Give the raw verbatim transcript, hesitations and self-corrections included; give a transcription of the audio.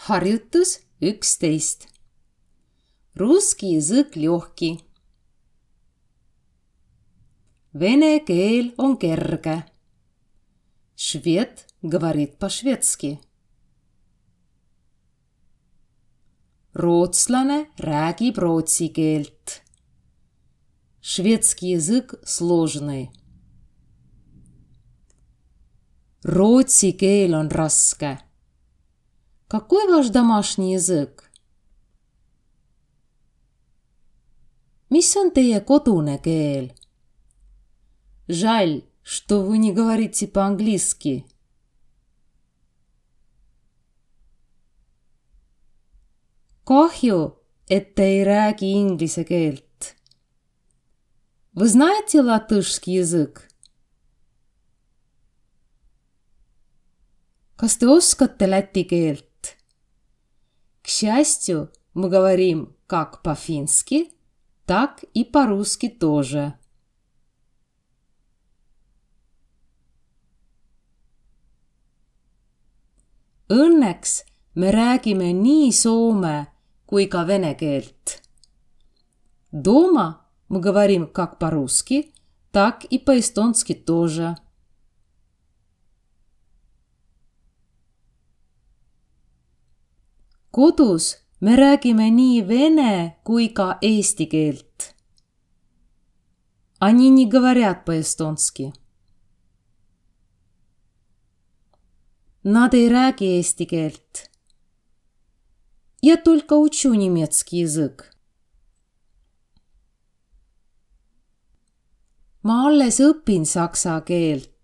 Harjutus üksteist. Русский язык легкий. Vene keel on kerge. Šved говорит по-švedski. Rootslane räägib rootsi keelt. Шведский язык сложный. Rootsi keel on raske. Какой ваш домашний язык? Mis on teie kodune keel? Жаль, что вы не говорите по-английски. Kahju, et te ei räägi inglise keelt. Вы знаете латышский язык? Kas te oskate läti keelt? К счастью, мы говорим как по-фински, так и по-русски тоже. Õnneks me räägime nii soome kui ka vene keelt. Дома мы говорим как по-русски, так и по-эстонски тоже. Kodus me räägime nii vene kui ka eesti keelt. Они не говорят по-эстонски. Nad ei räägi eesti keelt. Я только учу немецкий язык. Ma alles õpin saksa keelt.